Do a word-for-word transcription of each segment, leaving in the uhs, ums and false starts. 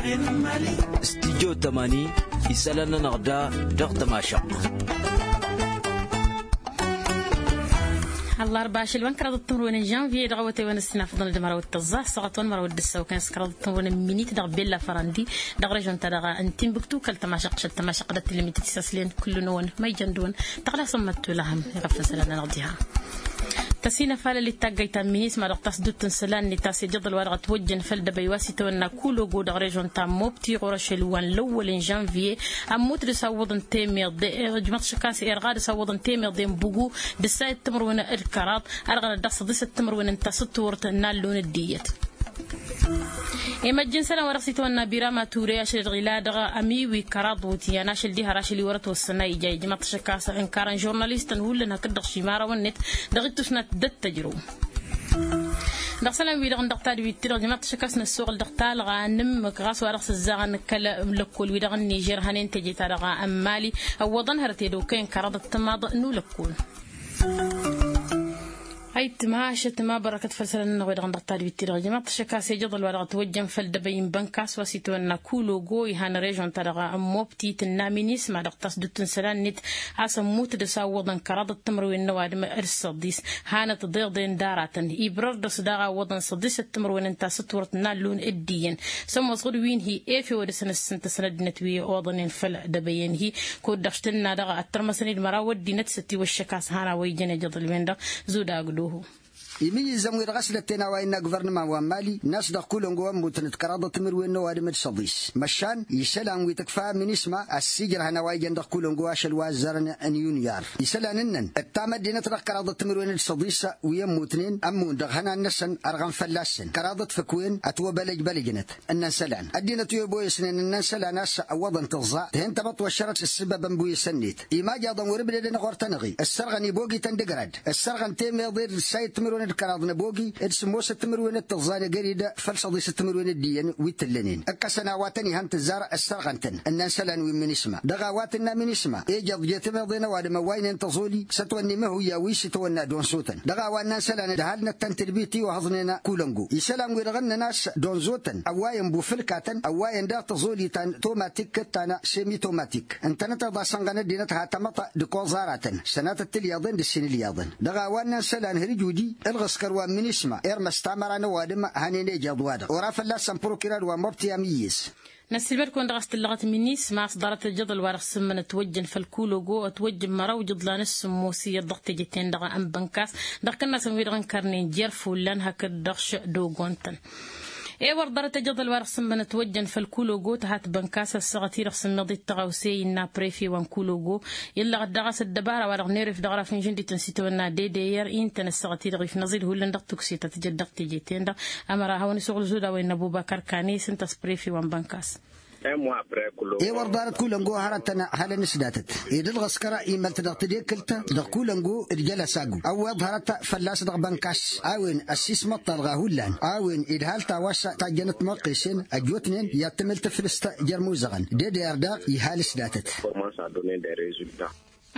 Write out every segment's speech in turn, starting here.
Studyo tămani isălan-nănăɣ da dăɣ-tămašăɣt. Ăllarba ašăl wa n-kăraḍăt timǝrwen n-žănvye dăɣ-awătay wa n-ăssinafăḍăn d-măraw d-tăẓẓa ăssaɣăt wa n-măraw d-ǝssaw kan s-kăraḍăt timǝrwen n-minit dăɣ-bella fărandi dăɣ-režon-ta-dăɣ n-timbuktu kăl-tămašăɣt šăl tămašăɣt dăɣ-tǝlmit tisăslen kull-năwăn ma ijăn dăɣ-wăn. Tăɣlasăm măttulăhăm iɣăfăn sălan-nănăɣ diha. Tăsinăfalăl i-taggayt ta n-minisma dăɣ-tasdut n-isălan-net a-s ejăḍăl wa dăɣ-ătwăjjăn făll-dăbăy wa s-itawănna kulogo dăɣ-režon ta n-mobti ɣur-ašăl wa n-lăwwăl n-žănvye. Ămmut dăɣ-s awwăḍăn temeḍe ăjmăḍ šăkkas irɣa dăɣ-s awwăḍăn temeḍe n-bugu d-ǝssayăt timǝrwen d-kăraḍ. Ărɣănăt dăɣ-săḍisăt timǝrwen n-tasǝtturt n-allun d-iyyăt. Imăjj n-isălan wa dăɣ-s itawănna birama ture ašăl-i-dăɣ ila dăɣ-amiwi kăraḍ wutǝyyan ašăl diha rašăl-i wăr-ătwăssăn a ija ijmaḍ-t šăkkas ǝnkarăn žurnalistăn hullan hakd-dăɣ šimărawăn-net dăɣ-ittusnat d-ăttăjrăw. Dăɣ-isălan-wi-dăɣ n-dăɣ-tadwit-ti-dăɣ ijmaḍ-t šăkkas năssoɣăl dăɣ-talɣa n-ǝmmǝk ɣas wa dăɣ-s ǝzzaɣăn kăl-lăkkol-wi-dăɣ n-nižer hănen teje-ta-dăɣ n-mali. Ăwwăḍăn hărăt edăw kăyăn kăraḍăt timaḍ n-ulăkkol. Ayǝttǝmhašăt ma bărăkăt făll-isălan-nănăɣ-wi-dăɣ n-dăɣ-tadwit-ti-dăɣ ijmaḍ-t šăkkas ejăḍăl wa dăɣ-ătwăjjăn făll-dăbăy n-bănkas wa s-itwănna kulogo ihăn režon-ta-dăɣ n-mobti tǝnna minisma dăɣ-tasdut n-isălan-net a-s ămmut dăɣ-s awwăḍăn kăraḍăt timǝrwen n-ăwadǝm d-săḍis. Hanăt ḍeḍen d-aratăn ibrăr dăɣ-s daɣ awwăḍăn săḍisăt timǝrwen n-tasǝtwărt n-allun d-iyyăn. Sămoos ɣǝd wi n-hi efew ad-dăr-săn ǝssǝntăsăn ăddinăt wi oḍănen făll-dăbăyăn-hi. Kud-dăɣ s-tǝnna dăɣ-ăttărmăsăn-dd măraw ăddinăt s-ătiwăššăk a-s han a-wa ijăn ejăḍ ălwen-dăɣ. Zudagdăhu. Imǝyyǝzzăm-wi-dăɣ a-s lătten a-wa innă guvărnăman wa n-mali n-a-s dăɣ-kulăngo ămmutnăt kăraḍăt timǝrwen n-ăwadǝm d-săḍis. Măšan isălan wi tǝkfa minisma ăssiijrăhăn a-wa ijăn dăɣ-kulăngo ašăl wa ăzzarăn n-yunyar isălan-nănăn ǝttam ăddinăt dăɣ-kăraḍăt timǝrwen d-săḍis. Wi ămmutnen ămmun dăɣ-ihănan-năsăn ărɣăn fălla-săn kăraḍăt fǝkwen ătwăbălăj bălăjnăt. Ǝnnăn isălan ăddinăt wi ăboyăsnen ǝnnăn isălan a-s ăwwăḍăn tǝẓẓa tǝhen tamăḍt wa ăššărăt s-ǝssǝbăbăn bu isănnet. Imajăḍăn wăr-ǝbdedăn ɣur-tănăɣi ǝssărɣăn ibogi-tăn d-ǝgrad ǝssărɣăn temeḍe d-ǝssayăt timǝrwen d-kăraḍ n-ăbogi d-sǝmmosăt timǝrwen d-tǝẓẓa n-egări-dd făll-săḍisăt timǝrwen d-iyyăn wi t-ǝllănen. Ǝkkăsăn a-wa tăn-ihăn tǝzzar ǝssărɣăn-tăn ǝnnăn isălan wi n-minisma dăɣ-a-wa tǝnna minisma ejăḍ je-temeḍe n-ăwadǝm ăwwaynen tăẓoli s-ătwănna imăhuyya wi s-itwănna donsotăn dăɣ-a-wa ǝnnăn isălan ǝdhal-năt tăn-tǝlbit iwăhăẓnen kulăngo isălan-wi-dăɣ ǝnnăn a-s donzotăn ăwwayăn bufǝlkatăn ăwwayăn daɣ tăẓoli ta n-tomatik d-ta n-semitomatik ǝntănăteḍ a-s ănɣăn ăddinăt ha tamăḍt d-ikoẓ aratăn sănatăt tilyaḍen d-ǝssin ilyaḍăn. Dăɣ-a-wa ǝnnăn isălan hărjudi ǝlɣǝskăr wa n-minisma irmăs tamăra n-ăwadǝm hănen ejeḍ-wa-dăɣ ora fălla-săn prokirar wa n-mobti amǝyyǝs. Năssiilmăd-kăwăn dăɣ-a-s tǝllăɣăt minisma a-s ḍarăt ăjăḍăl wa dăɣ-sǝmmănăt wăjjăn făll-kulogo ătwăjjăn măraw ijǝḍlan s-sǝmmos iyyăḍ dăɣ-teje-ten-dăɣ n-bănkas dăɣ-kănnasăn wi-dăɣ ǝnkărnen jer-fullan hakd dăɣ-š dogon-tăn. I-wăr ḍarăt ăjăḍăl wa dăɣ-sǝmmănăt wăjjăn făll-kulogo tăhat bănkas ăssaɣăt-i-dăɣ s-ǝmmiḍ i-tăɣawse innă prefe wa n-kulogo. Illăɣăt daɣ a-s ăddăbara wa dăɣ-neref dăɣ-raf n-žǝndit n-sitawănna d-e d-e-r i n-tăn-ăssaɣăt-i-dăɣ ifnăẓ-dd hullan dăɣ-tukse ta tǝjăd dăɣ-teje-ten-dăɣ. Ămăra hawăn-isuɣǝl zuda wa innă ăbubăkăr kane s-ǝnta s-prefe wa n-bănkas. I-wăr ḍarăt kulăngo hărătăn halăn-s datăt ed ǝlɣǝskăr imălt dăɣ-tedekǝlt dăɣ-kulăngo d-jălăsagu ăwweḍ hărăt fălla-s dăɣ-bănkas a-wen ăssismăṭṭalɣa hullan a-wen idhal ta wa s-tajjănăt măqqesen ăjjootnen i-ad-tǝmǝl tǝflǝst jer-imuzăɣăn d-e d e-r daɣ ihal s-datăt.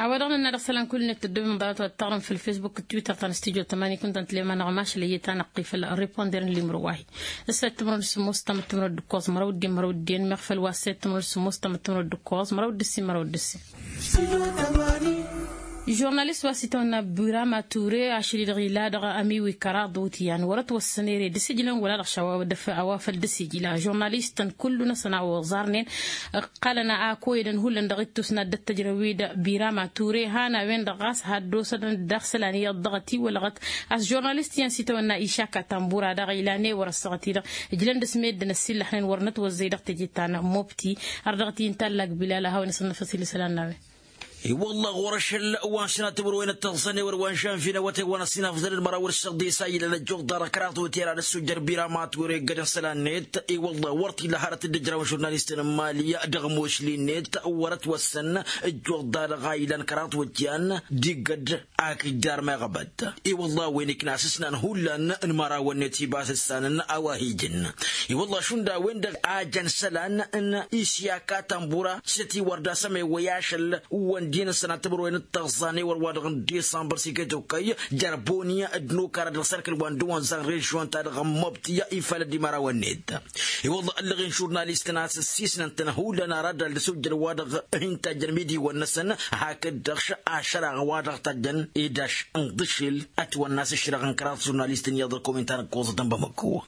A-wa dăɣ-nǝnna dăɣ-isălan kull-net tăddobem ḍarăt wa t-taɣrǝm făll-fesbuk d-twitter ta n-studyo tămani kunta n-tǝlem anăɣ mašlăyye ta năqqi făll-riponder n-limro wa-hi. Ǝssayăt timǝrwen d-sǝmmos tamăt timǝrwen d-ǝkkoẓ măraw d-ǝddin măraw d-ǝddin meɣ făll-wa ǝssayăt timǝrwen d-sǝmmos tamăt timǝrwen d-ǝkkoẓ măraw d-ǝssin măraw d-ǝssin. Žurnalist wa s-itawănna birama ture ašăl-i-dăɣ ila dăɣ-amiwi kăraḍ wutǝyan wăr-ătwăssăn ere d-asǝjlăn wăla dăɣ-š a-wa făl d-asǝjla žurnalistăn kullu-năsăn a oẓarnen. Ǝqqalăn a koyădăn hullan dăɣ-ittus n-ad-dd-tăjrăw-dd birama ture han a-wen-dăɣ ɣas had-dosădăn daɣ isălan iyyăḍ dăɣ-ătiwălăɣăt. A-s žurnalist iyyăn s-itawănna išak atambura daɣ ilan i-wăr-ăssaɣăt-i-dăɣ ǝjlăn dăɣ-s meddǝn ăsillăxnen wăr nătwăzzăy dăɣ-teje ta n-mobti. Ar dăɣ-t-i n-tallak bilal a hawăn-isănnăfăs ila isălan n-a-wen. I-wălla ɣur-ašăl wa n-sănatăwăr wa inăttăẓẓăn i-wăr wa n-žănvi n-awătay wa n-ăsinafăḍăn d-măraw d-săḍisa ilăn ăjjuḍ ḍarăk raḍ wătera d-ăssujjăr birama ture ǝggădăn isălan-net. I-wălla wăr t-illa hărăt dd-ǝjrawăn žurnalistăn n-mali dăɣ-mošli-net wăr-ătwăssăn ǝjjuḍ ḍarăk a ilan kăraḍ wătyan d-iggăd. Akǝjdar meɣăbăt i-wălla a-wen ikna s-ǝsnan hullan n-imărawăn-net ibas ǝssanăn a-wa hi-ijǝn. I-wălla šund a-wen-dăɣ a jăn isălan n-isyaka tănbura s-ătiwăr d-asămewăy ašăl. Wăn Dinăsăn ad-tămărwen d-taẓẓane wăr-wa-dăɣ n-disămbăr s-iket okăy jer-boni d-nukara dăɣ-serkǝl wa n-dăwănza n-režion-ta-dăɣ n-măbtǝy ifalăd imărawăn-net. I-wălla ăllăɣen žurnalistăn a-s ăssiisnăn-tăn hullan ara dd-ăldăs ujjăl wa-dăɣ hin-tajjăn midiwăn-năsăn. Hakd-dăɣ ašăraɣ wa-dăɣ tajjăn idaš n-iḍǝšil ătwănna a-s ǝššăreɣ n-kăraḍ žurnalistăn iyyăḍ ălkomintan ǝkkoẓătăn bamăkko.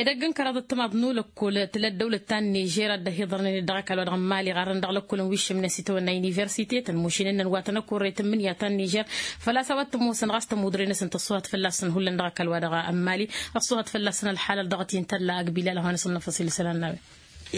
Edăgg n-kăraḍ ăttămaḍ n-ulăkkol tǝla ăddăwlăt ta n-nižer a dd-ăhiḍărnen ed dăɣ-ăkall wa dăɣ-n mali ɣarrăn dăɣ-lăkkol n-wiššǝm-net itawănna universitetăn mušin ǝnnăn wa tăn-ăkkorre tǝmmǝnǝya ta n-nižer. Făl-a-s a-wa t-ămoosăn ɣas tămudre-năsăn tăṣṣuhat fălla-săn hullan dăɣ-ăkall wa dăɣ-n mali. Ăṣṣuhat fălla-săn ălxalăl dăɣ-t intălla ăgbilal a hawăn-asăn năfăṣil isălan n-a-wen.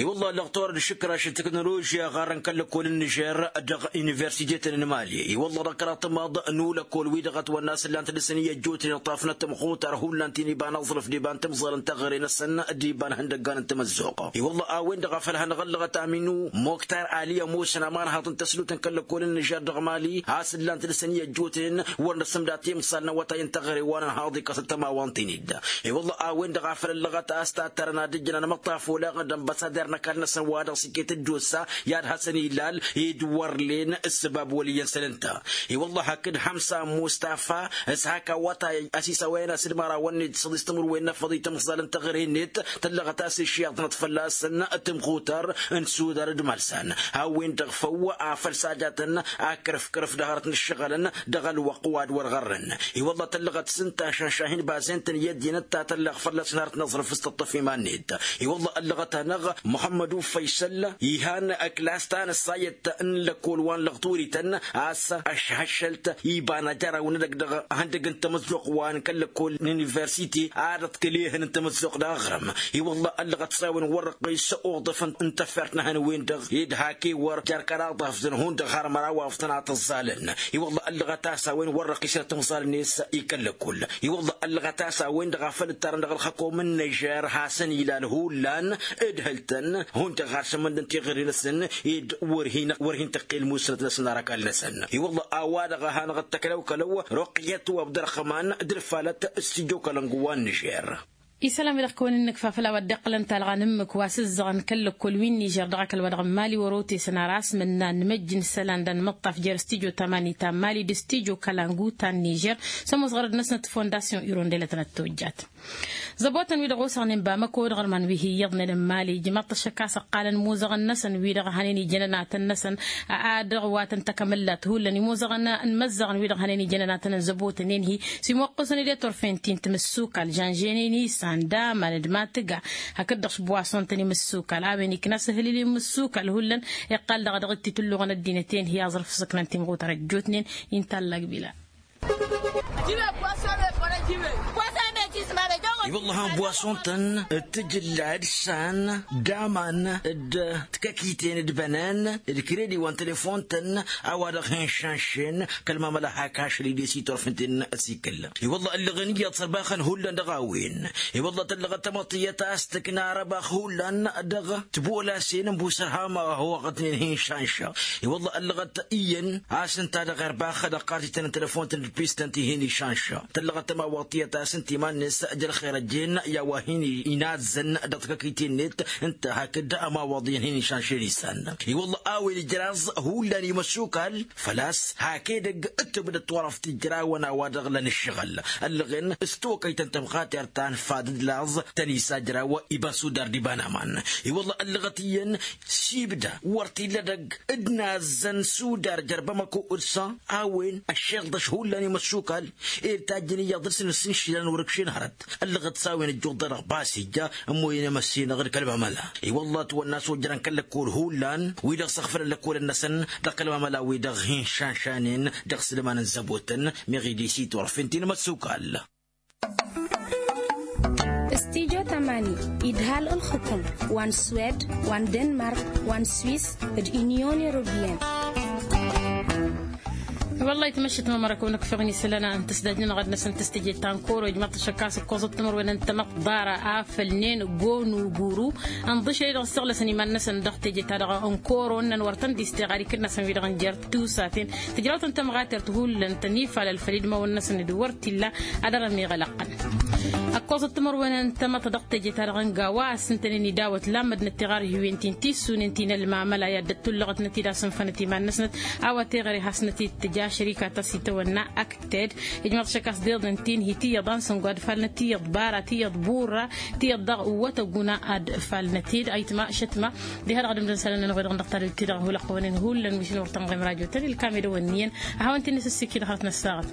I-wălla lăɣ torăd šǝkraš n-teknoložya ɣarrăn kăl-lăkkol n-nižer dăɣ-universitetăn n-mali. I-wălla dăɣ-kăraḍ tămaḍ n-ulăkkol wi-dăɣ ătwănna a-s ǝllan-t dăr-săn i-ăjjootnen ǝṭṭafnăt tămxutar hullan ti n-iba n-aẓrǝf d-iba n-timẓal n-teɣăre-năsăn d-iba n-ihăndăggan n-tamăzzuɣt. I-wălla a-wen-dăɣ a făl hanăɣ-ăllăɣăt aminu moktar ali ămoosăn amarhaḍ n-tăslutăn kăl-lăkkol n-nižer dăɣ-mali a-s ǝllan-t dăr-săn i-ăjjootnen wăr nǝsǝmda timẓal n-awătay n-teɣăre wa n-ănhaḍ ikăs ăttămawa n-tinǝd. I-wălla a-wen-dăɣ a făl ăllăɣăt a-s tattărăn ad-ǝjjǝnăn amăṭṭaf oleɣ d-ănbăsader n-ăkall-năsăn wa dăɣ-s iket ăjjoot sa i-ad-hasăn-illal ed wăr len ǝssǝbab wăl' iyyăn săl ǝnta. I-wălla hakd hamsa mustafa s-hak awătay ăsisawăyăn a-s d-imărawăn-net d-săḍis timǝrwen n-afăḍ i-tamẓal n-teɣăre-net tăllăɣăt a-s išyaḍnăt fălla-săn tǝmxutăr n-sudar d-imalsan. A-wen-dăɣ făw a făl sajatăn akărăf-kărăf dăɣ-hărăt n-ǝššăɣǝlăn dăɣ-ălwăqq wa d-wăr ɣărrăn. I-wălla tăllăɣăt s-ǝnta ašănša hin-bazent n-iyyăt dinăt ta tălleɣ fălla-s n-hărăt n-aẓrǝf s-tǝṭṭăf iman-net. I-wălla ăllăɣăt-anăɣ muhămmădu făysăl ihan ăklas ta n-ăssayăt n-lăkkol wa n-lăɣturităn a-s ăšhăššălt iba n-ajăraw n-edăgg dăɣ-ihăndăg n-tamăzzuɣt wa n-kăl-lăkkol n-universite ad-ăḍkăl ehăn n-tamăzzuɣt dăɣ-aɣrǝm. I-wălla ăllăɣăt s-a-wen wăr-răqqis uḍǝf n-tăffert n-ehăn-wen-dăɣ ed hak ewăr jer-kăraḍ afzăn hundăɣ har măraw afzăn a tǝẓẓalăn. I-wălla ăllăɣăt a-s a-wen wăr-răqqisăn timẓal-net i-kăl-lăkkol. I-wălla ăllăɣăt a-s a-wen-dăɣ a făl ǝttarăn dăɣ-ălxăkom n-năžer hasăn-ilal hullan ǝdhǝl-tăn hundăɣ har šămmăndăn tiɣǝri-năsăn ed wăr hin-tăqqel musnăt-năsăn ar ăkall-năsăn. I-wălla a-wa-dăɣ a hanăɣ-dd-tăklăw-kălăw ruqyăt wa abdărăxman d-ǝlfalăt s-tijokălăn gǝwwa n-năžer. Isălan wi-dăɣ kăwăn-in-nǝkfa făll-a-wa dd-iqqălăn talɣa n-ǝmmǝk wa s-ǝzzăɣăn kăl-lăkkol wi n-nižer dăɣ-akăl wa dăɣ-n mali wăr-otesăn ar asmǝnna n-imăjj n-isălan d-anmăṭṭaf jer-stijo tamani ta n-mali d-stijo kălangu ta n-nižer. S-ămoos ɣărăd-năsnăt fondasyon irondelătnăt tojjat. Zăbotăn wi-dăɣ osăɣnen bamăko d-iɣărman wi hi-iyyăḍnen n-mali ijmaḍ-t ăššăk a-s ǝqqalăn imuzăɣăn-năsăn wi-dăɣ hănen ijăn ănatăn-năsăn. A dăɣ-wa tăn-tăkămăllat hullan imuzăɣăn n-imăzzăɣăn wi-dăɣ hănen ijăn ănatăn n-zăbotnen-hi. S-imoqqǝsăn i-de-torfen ti n-timǝssukal žănženen isan d-aman d-matǝga hakd-dăɣ s-buwason-tăn imǝssukal a-wen ikna s-ǝhlǝl imǝssukal hullan. Iqqal daɣ dăɣ-t itǝlluɣăn ăddinăt-en-hi aẓrǝf s-ǝknan timɣutăr ăjjootnen. Inta ăllăg bila. I-wălla han buwason-tăn d-tǝjǝlla d-san d-aman d-tikăkiten d-bănăn d-kredi wa n-telefon-tăn. A-wa-dăɣ hin-šanšen kăl-mamăla hak ašăl-i d-e-s itorf ǝnta-en ăsikǝl. I-wălla ăllăɣen iyyăḍ sărbaxăn hullan dăɣ-a-wen. I-wălla tăllăɣăt tamăḍt tiyyăt a-s tǝkna arăbax hullan dăɣ-tibolasen n-busărhama wa hoɣătnen hin-šanša. I-wălla ăllăɣăt iyyăn a-s ǝnta dăɣ-erbax dăɣ-kartităn n-telefon-tăn d-pistăn ti hin-išanša. Tăllăɣăt tămawaḍt tiyyăt a-s ǝnta iman-net jer-xer ăjjeen i-a-wa hin-inazzăn dăɣ-tikăkiten-net ǝnta hakd ămawaḍ iyyăn hin-išanšen isan. I-wălla a-wen ijraẓ hullan imăssukal făl-a-s hak edăgg ǝttǝbdăt turăft ijrawăn a-wa-dăɣ lăn ǝššăɣǝl. Ăllăɣen s-tokăyt n-tămxatert ta n-fad d-laẓ tăn-isajraw iba n-sudar d-iba n-aman. I-wălla ăllăɣăt iyyăn s-ibda wăr t-illa edăgg d-nazzăn sudar jer-bamăko d-san a-wen ăššeḍăš hullan imăssukal ed tajjăn iyyăḍ dăr-săn ǝssin išilan wăr-ǝkšen hărăt. Ăllăɣăt s-a-wen ăjjuḍ-dăɣ bas ija ămmoyăn emăssinăɣ d-kăl-mamăla. I-wălla ătwănna a-s ojărăn kăl-lăkkol hullan wi-dăɣ s-ăɣfălăn lăkkolăn-năsăn dăɣ-kăl-mamăla-wi-dăɣ hin-šanšanen dăɣ-s lăman n-zăbotăn meɣ ed e-s iturăf ǝnta-en imăssukal. Stijo tamani idhal ǝlxǝkǝm wa n-swed wa n-denmark wa n-swis d-inyon europeyăn. Wălla-hi tmăššit mămăra kăwăn-ăkfăɣ n-isălan n-tăsdajnăn ɣad-năsăn tăstejed ta n-koro ijmaḍ-t ašăkkas ǝkkoẓăt timărwen n-tamăḍt ḍara afăl n-en gon uburu. Ǝnḍǝšăl-i-dăɣ ǝssăɣlăsăn iman-năsăn dăɣ-teje-ta-dăɣ n-koro ǝnnăn wăr tăn-dd-isteɣ ad-ikǝnnasăn wi-dăɣ n-jer-tusat-en tǝjrawt n-tămɣatert hullan tăn-ifalăl făll-idmawăn-năsăn d-wăr t-illa ad-dăr-ămiɣălăqqăn. Ăkkoẓăt timărwen n-tamăḍt dăɣ-teje-ta-dăɣ n-gawa a-s ǝntănen idawăt lammădnăt tiɣarhiwen ti n-tissunen ti n-ălmamăla i-ad-dd-ăttullăɣătnăt-dd a-s ǝnfănăt iman-năsnăt a-wa teɣăre hasnăt-dd tǝja šărika ta s-itawănna ăkted. Ijmaḍ šăkkas d-iḍăn ti n-hi tiyyăḍ a n-sǝngo ad-falnăt tiyyăḍ bara tiyyăḍ burra tiyyăḍ daɣ wătăguna ad-falnăt-dd ayǝtma šătma. Diha-dăɣ ad-ǝmdăn isălan-nănăɣ-wi-dăɣ dăɣ-tadǝlt-ti-dăɣ hulăɣ-tăwăn-in hullan wi s-in-wăr tănɣem rajo-tăn ilkam edăwănni iyyăn ad-hawăn-t-in-nǝsǝssǝkǝy dăɣ-hărăt n-ăssaɣăt.